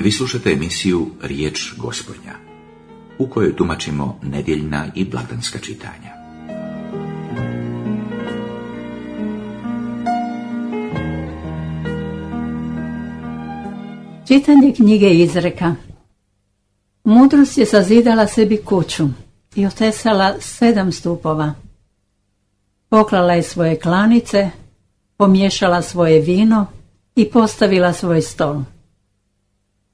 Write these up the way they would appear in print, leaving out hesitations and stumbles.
Vi slušate emisiju Riječ Gospodnja, u kojoj tumačimo nedjeljna i blagdanska čitanja. Čitanje knjige Izreka. Mudrost je sazidala sebi kuću i otesala 7 stupova. Poklala je svoje klanice, pomiješala svoje vino i postavila svoj stol.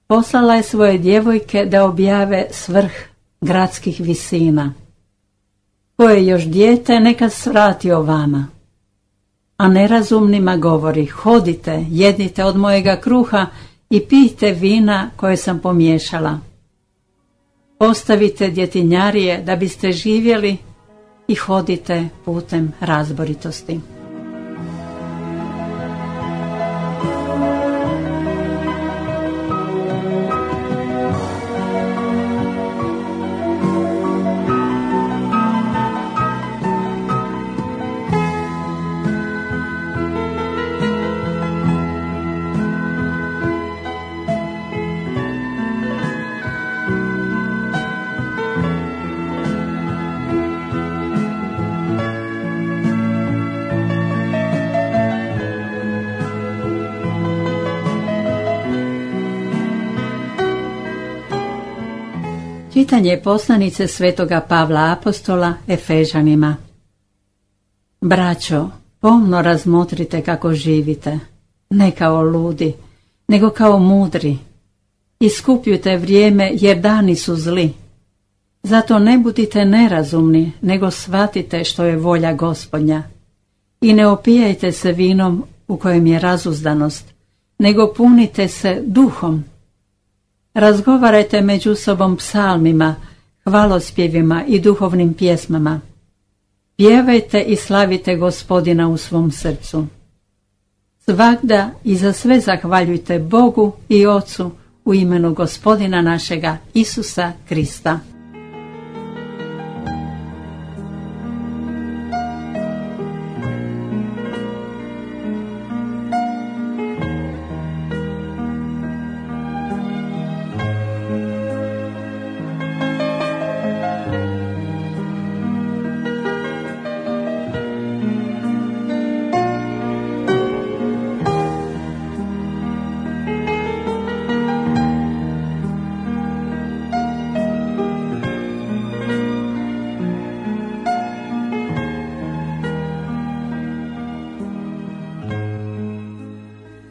Poslala je svoje djevojke da objave svrh gradskih visina. Ko je još dijete, neka svrati o vama. A nerazumnima govori: hodite, jedite od mojega kruha i pijte vina koje sam pomiješala. Postavite djetinjarije da biste živjeli i hodite putem razboritosti. Čitanje poslanice svetoga Pavla apostola Efežanima. Braćo, pomno razmotrite kako živite, ne kao ludi, nego kao mudri. Iskupljujte vrijeme, jer dani su zli. Zato ne budite nerazumni, nego shvatite što je volja Gospodnja. I ne opijajte se vinom u kojem je razuzdanost, nego punite se duhom. Razgovarajte među sobom psalmima, hvalospjevima i duhovnim pjesmama. Pjevajte i slavite Gospodina u svom srcu. Svagda i za sve zahvaljujte Bogu i Ocu u imenu Gospodina našega Isusa Krista.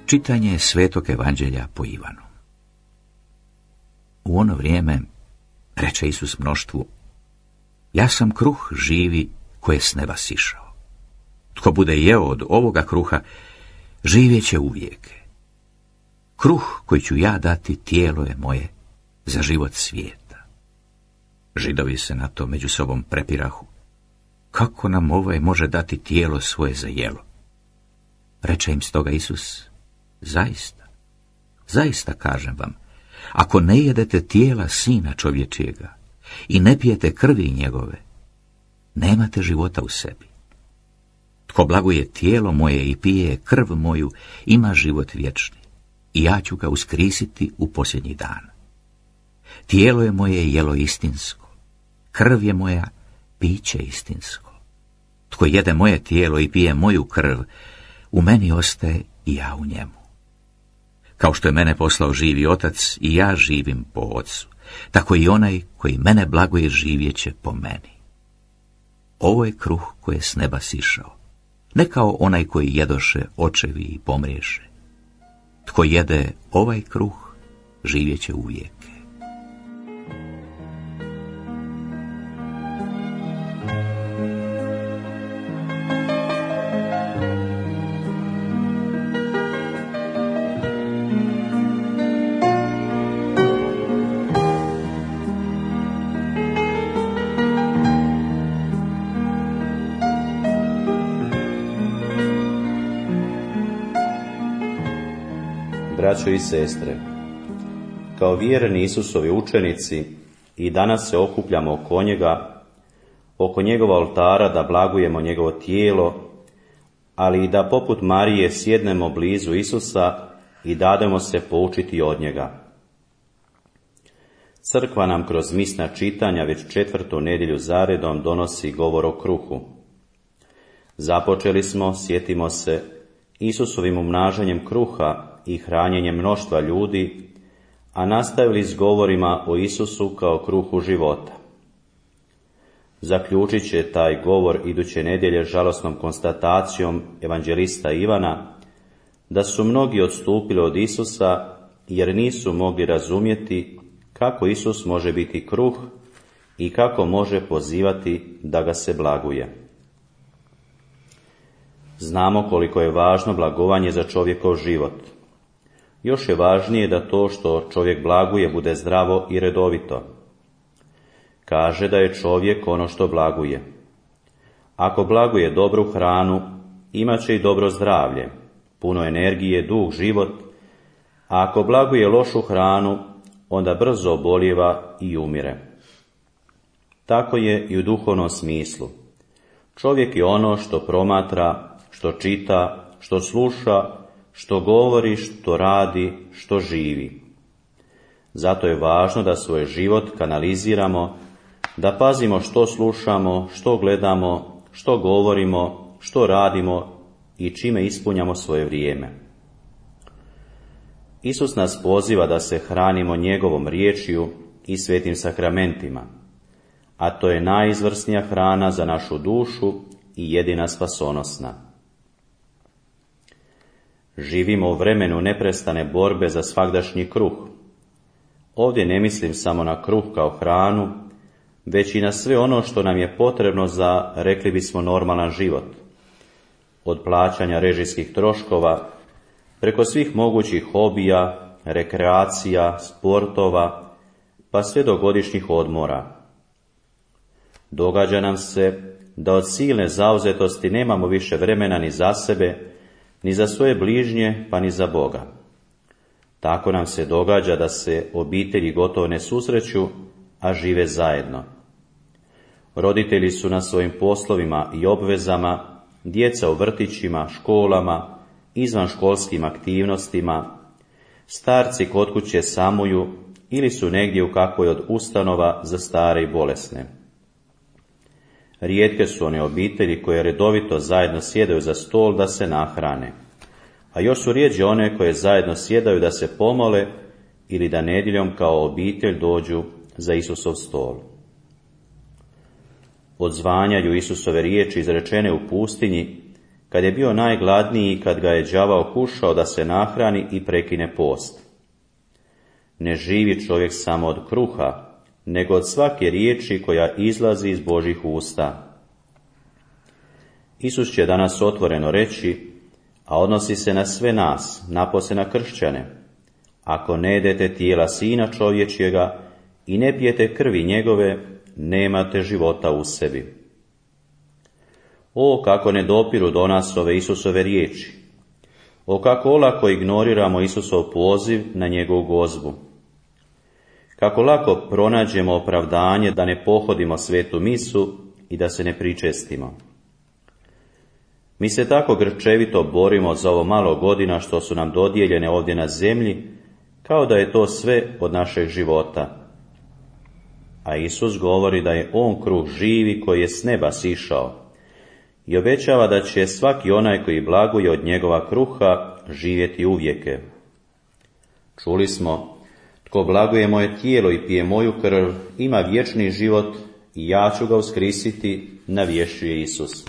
Čitanje Svetog Evanđelja po Ivanu. U ono vrijeme reče Isus mnoštvu: ja sam kruh živi koji je s neba sišao. Tko bude jeo od ovoga kruha, živjet će uvijek. Kruh koji ću ja dati tijelo je moje za život svijeta. Židovi se na to među sobom prepirahu: kako nam ovaj može dati tijelo svoje za jelo? Reče im stoga Isus: zaista, zaista kažem vam, ako ne jedete tijela Sina čovječijega i ne pijete krvi njegove, nemate života u sebi. Tko blaguje tijelo moje i pije krv moju, ima život vječni, i ja ću ga uskrisiti u posljednji dan. Tijelo je moje jelo istinsko, krv je moja piće istinsko. Tko jede moje tijelo i pije moju krv, u meni ostaje i ja u njemu. Kao što je mene poslao živi Otac i ja živim po Otcu, tako i onaj koji mene blaguje živjet će po meni. Ovo je kruh koji je s neba sišao, ne kao onaj koji jedoše očevi i pomriješe. Tko jede ovaj kruh, živjet će uvijek. Braćo i sestre, kao vjerni Isusovi učenici i danas se okupljamo oko njegova oltara da blagujemo njegovo tijelo, ali i da poput Marije sjednemo blizu Isusa i dademo se poučiti od njega. Crkva nam kroz misna čitanja već 4. nedjelju zaredom donosi govor o kruhu. Započeli smo, sjetimo se, Isusovim umnažanjem kruha i hranjenjem mnoštva ljudi, a nastavili s govorima o Isusu kao kruhu života. Zaključit će taj govor iduće nedjelje žalosnom konstatacijom evanđelista Ivana da su mnogi odstupili od Isusa jer nisu mogli razumjeti kako Isus može biti kruh i kako može pozivati da ga se blaguje. Znamo koliko je važno blagovanje za čovjekov život. Još je važnije da to što čovjek blaguje bude zdravo i redovito. Kaže da je čovjek ono što blaguje. Ako blaguje dobru hranu, imat će i dobro zdravlje, puno energije, dug život, a ako blaguje lošu hranu, onda brzo obolijeva i umire. Tako je i u duhovnom smislu. Čovjek je ono što promatra, što čita, što sluša, što govori, što radi, što živi. Zato je važno da svoj život kanaliziramo, da pazimo što slušamo, što gledamo, što govorimo, što radimo i čime ispunjamo svoje vrijeme. Isus nas poziva da se hranimo njegovom riječju i svetim sakramentima, a to je najizvrsnija hrana za našu dušu i jedina spasonosna. Živimo u vremenu neprestane borbe za svagdašnji kruh. Ovdje ne mislim samo na kruh kao hranu, već i na sve ono što nam je potrebno za, rekli bismo, normalan život. Od plaćanja režijskih troškova, preko svih mogućih hobija, rekreacija, sportova, pa sve do godišnjih odmora. Događa nam se da od silne zauzetosti nemamo više vremena ni za sebe, ni za svoje bližnje, pa ni za Boga. Tako nam se događa da se obitelji gotovo ne susreću, a žive zajedno. Roditelji su na svojim poslovima i obvezama, djeca u vrtićima, školama, izvanškolskim aktivnostima, starci kod kuće samuju ili su negdje u kakvoj od ustanova za stare i bolesne. Rijetke su one obitelji koje redovito zajedno sjedaju za stol da se nahrane, a još su rjeđe one koje zajedno sjedaju da se pomole ili da nedjeljom kao obitelj dođu za Isusov stol. Odzvanjaju Isusove riječi izrečene u pustinji, kad je bio najgladniji i kad ga je đavao kušao da se nahrani i prekine post. Ne živi čovjek samo od kruha, nego od svake riječi koja izlazi iz Božjih usta. Isus će danas otvoreno reći, a odnosi se na sve nas, napose na kršćane: ako ne jedete tijela Sina čovječjega i ne pijete krvi njegove, nemate života u sebi. O, kako ne dopiru do nas ove Isusove riječi! O, kako olako ignoriramo Isusov poziv na njegovu gozbu! Kako lako pronađemo opravdanje da ne pohodimo svetu misu i da se ne pričestimo. Mi se tako grčevito borimo za ovo malo godina što su nam dodijeljene ovdje na zemlji, kao da je to sve od našeg života. A Isus govori da je on kruh živi koji je s neba sišao i obećava da će svaki onaj koji blaguje od njegova kruha živjeti uvijeke. Čuli smo: tko blaguje moje tijelo i pije moju krv, ima vječni život i ja ću ga uskrisiti, navješćuje Isus.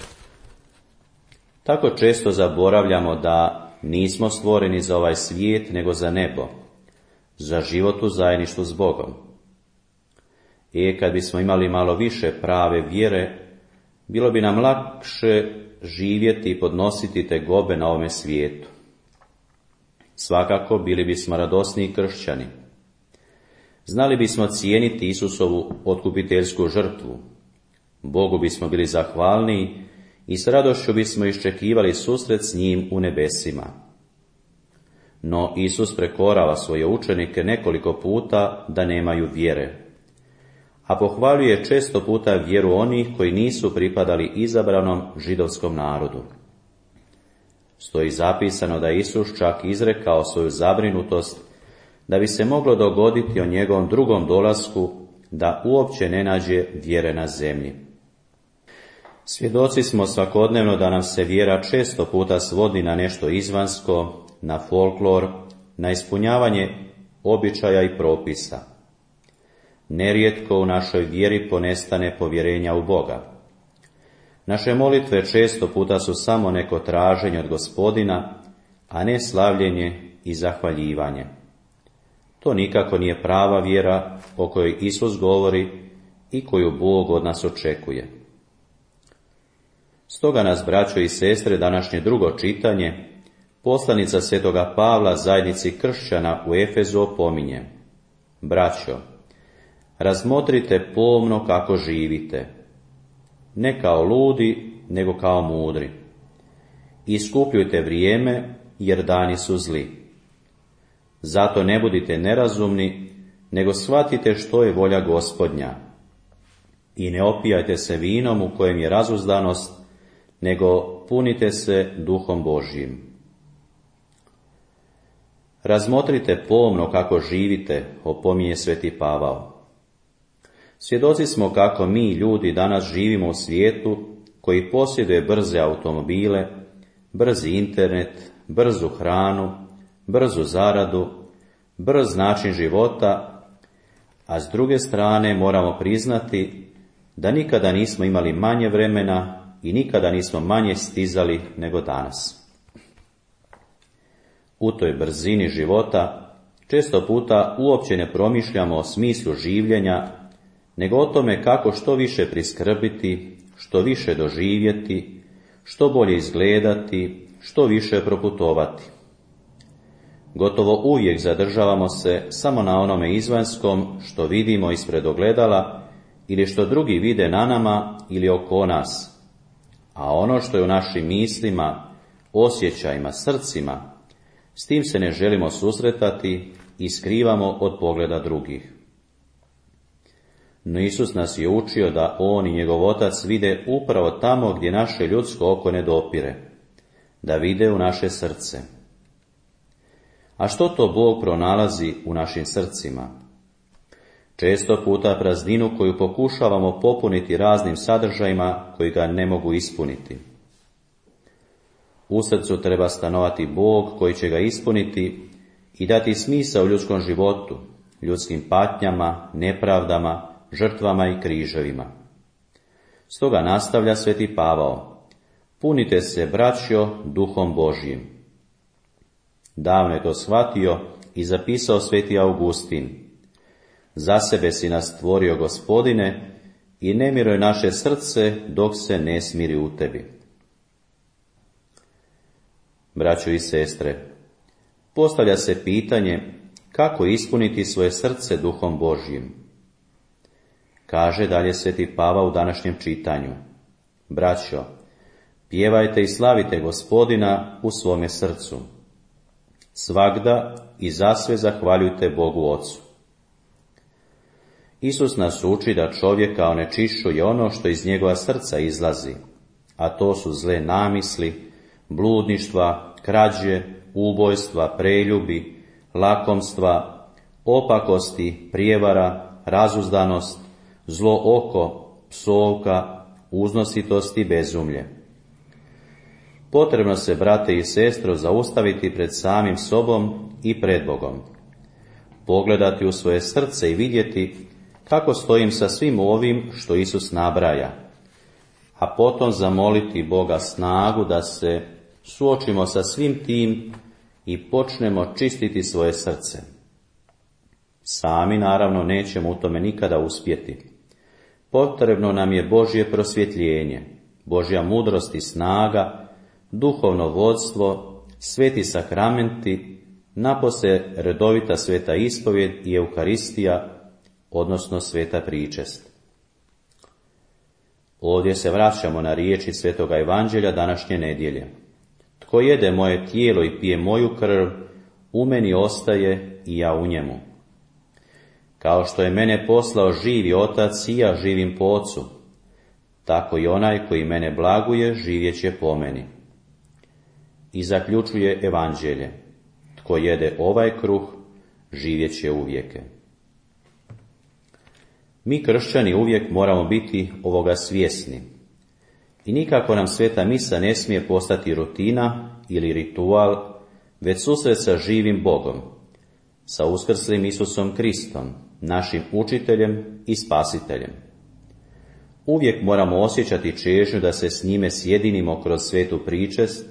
Tako često zaboravljamo da nismo stvoreni za ovaj svijet, nego za nebo, za život u zajedništvu s Bogom. Kad bismo imali malo više prave vjere, bilo bi nam lakše živjeti i podnositi tegobe na ovome svijetu. Svakako bili bismo radosniji kršćani. Znali bismo cijeniti Isusovu otkupiteljsku žrtvu. Bogu bismo bili zahvalniji i s radošću bismo iščekivali susret s njim u nebesima. No Isus prekorava svoje učenike nekoliko puta da nemaju vjere, a pohvaljuje često puta vjeru onih koji nisu pripadali izabranom židovskom narodu. Stoji zapisano da Isus čak izrekao svoju zabrinutost da bi se moglo dogoditi o njegovom drugom dolasku da uopće ne nađe vjere na zemlji. Svjedoci smo svakodnevno da nam se vjera često puta svodi na nešto izvanjsko, na folklor, na ispunjavanje običaja i propisa. Nerijetko u našoj vjeri ponestane povjerenja u Boga. Naše molitve često puta su samo neko traženje od Gospodina, a ne slavljenje i zahvaljivanje. To nikako nije prava vjera o kojoj Isus govori i koju Bog od nas očekuje. Stoga nas, braćo i sestre, današnje drugo čitanje, poslanica svetoga Pavla zajednici kršćana u Efezu opominje: braćo, razmotrite pomno kako živite, ne kao ludi, nego kao mudri. Iskupljujte vrijeme, jer dani su zli. Zato ne budite nerazumni, nego shvatite što je volja Gospodnja. I ne opijajte se vinom u kojem je razuzdanost, nego punite se Duhom Božjim. Razmotrite pomno kako živite, opominje sveti Pavao. Svjedoci smo kako mi ljudi danas živimo u svijetu koji posjeduje brze automobile, brzi internet, brzu hranu, brzu zaradu, brz način života, a s druge strane moramo priznati da nikada nismo imali manje vremena i nikada nismo manje stizali nego danas. U toj brzini života često puta uopće ne promišljamo o smislu življenja, nego o tome kako što više priskrbiti, što više doživjeti, što bolje izgledati, što više proputovati. Gotovo uvijek zadržavamo se samo na onome izvanjskom što vidimo ispred ogledala ili što drugi vide na nama ili oko nas, a ono što je u našim mislima, osjećajima, srcima, s tim se ne želimo susretati i skrivamo od pogleda drugih. No Isus nas je učio da On i njegov Otac vide upravo tamo gdje naše ljudsko oko ne dopire, da vide u naše srce. A što to Bog pronalazi u našim srcima? Često puta prazninu koju pokušavamo popuniti raznim sadržajima koji ga ne mogu ispuniti. U srcu treba stanovati Bog koji će ga ispuniti i dati smisao ljudskom životu, ljudskim patnjama, nepravdama, žrtvama i križevima. Stoga nastavlja sveti Pavao: punite se, braćo, Duhom Božjim. Davno je to shvatio i zapisao sveti Augustin: za sebe si nas stvorio, Gospodine, i ne miruje naše srce dok se ne smiri u tebi. Braćo i sestre, postavlja se pitanje kako ispuniti svoje srce Duhom Božjim. Kaže dalje sveti Pavao u današnjem čitanju: braćo, pjevajte i slavite Gospodina u svome srcu. Svagda i zasve zahvaljujte Bogu Ocu. Isus nas uči da čovjeka onečišćuje ono što iz njegova srca izlazi, a to su zle namisli, bludništva, krađe, ubojstva, preljubi, lakomstva, opakosti, prijevara, razuzdanost, zlo oko, psovka, uznositost i bezumlje. Potrebno se, brate i sestro, zaustaviti pred samim sobom i pred Bogom. Pogledati u svoje srce i vidjeti kako stojim sa svim ovim što Isus nabraja, a potom zamoliti Boga snagu da se suočimo sa svim tim i počnemo čistiti svoje srce. Sami naravno nećemo u tome nikada uspjeti. Potrebno nam je Božje prosvjetljenje, Božja mudrost i snaga, duhovno vodstvo, sveti sakramenti, napose redovita sveta ispovjed i Eukaristija, odnosno sveta pričest. Ovdje se vraćamo na riječi svetoga Evanđelja današnje nedjelje. Tko jede moje tijelo i pije moju krv, u meni ostaje i ja u njemu. Kao što je mene poslao živi Otac i ja živim po Ocu, tako i onaj koji mene blaguje živjet će po meni. I zaključuje Evanđelje: tko jede ovaj kruh, živjet će uvijeke. Mi kršćani uvijek moramo biti ovoga svjesni i nikako nam sveta misa ne smije postati rutina ili ritual, već susret sa živim Bogom, sa uskrslim Isusom Kristom, našim učiteljem i spasiteljem. Uvijek moramo osjećati čežnju da se s njime sjedinimo kroz svetu pričest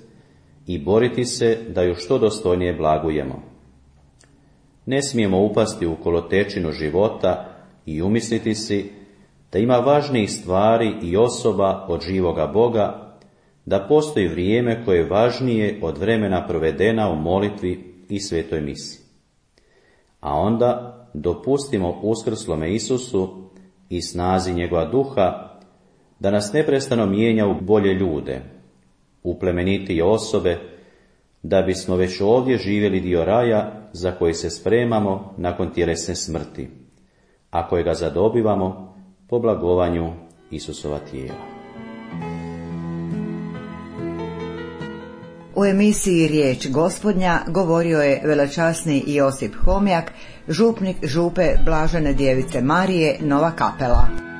i boriti se da ju što dostojnije blagujemo. Ne smijemo upasti u kolotečinu života i umisliti si da ima važnijih stvari i osoba od živoga Boga, da postoji vrijeme koje je važnije od vremena provedena u molitvi i svetoj misi. A onda dopustimo uskrslome Isusu i snazi njegova duha da nas neprestano mijenja u bolje ljude, u plemenitije osobe, da bismo već ovdje živjeli dio raja za koji se spremamo nakon tjelesne smrti, a kojega zadobivamo po blagovanju Isusova tijela. U emisiji Riječ Gospodnja govorio je velečasni Josip Homjak, župnik župe Blažene Djevice Marije, Nova Kapela.